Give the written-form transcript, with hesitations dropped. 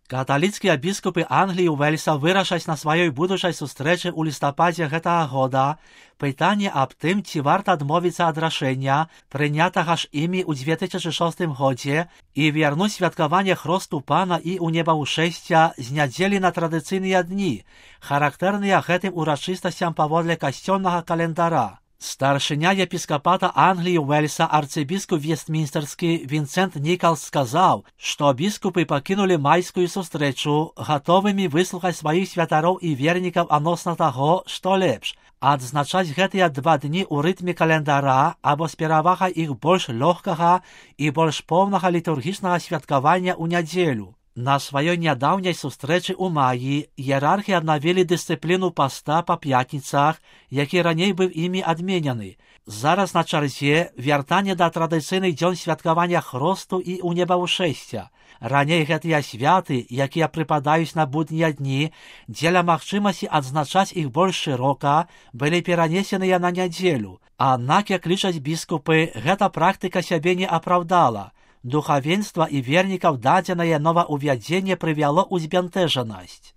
Каталіцкія біскупы Англіі і Уэльса вырашаць на сваёй будучай сустрэчы ў лістападзе гэтага года пытанне аб тым, ці варта адмовіцца ад рашэння, прынятага ж імі ў 2006 годзе, і вярнуць святкаванне хросту Пана і унебаўшэсця з нядзелі на традыцыйныя дні, характэрныя гэтым урачыстасцям паводле касцёльнага календара. Старшыня епіскапата Англіі і Уэльса арцыбіскуп Вестмінстерскі Вінсент Нікалс сказаў, што біскупы пакінулі майскую сустрэчу, гатовымі выслухаць сваіх святароў і вернікаў адносна таго, што лепш, адзначаць гэтыя 2 дні ў рытме календара або з перавагай іх больш лёгкага і больш поўнага літургічнага святкавання ў нядзелю. На сваёй нядаўняй сустрэчы ў маі іерархі аднавілі дысцыпліну паста па пятніцах, які раней быў імі адменены. Зараз на чарзе вяртанне да традыцыйных дзён святкавання хросту і унебаўшэсця. Раней гэтыя святы, якія прыпадаюць на буднія дні, дзеля магчымасці адзначаць іх больш шырока, былі перанесеныя на нядзелю. Аднак, як лічаць біскупы, гэта практыка сябе не апраўдала. Духавенства і вернікаў дадзенае новаўвядзенне прывяло ў збянтэжанасць.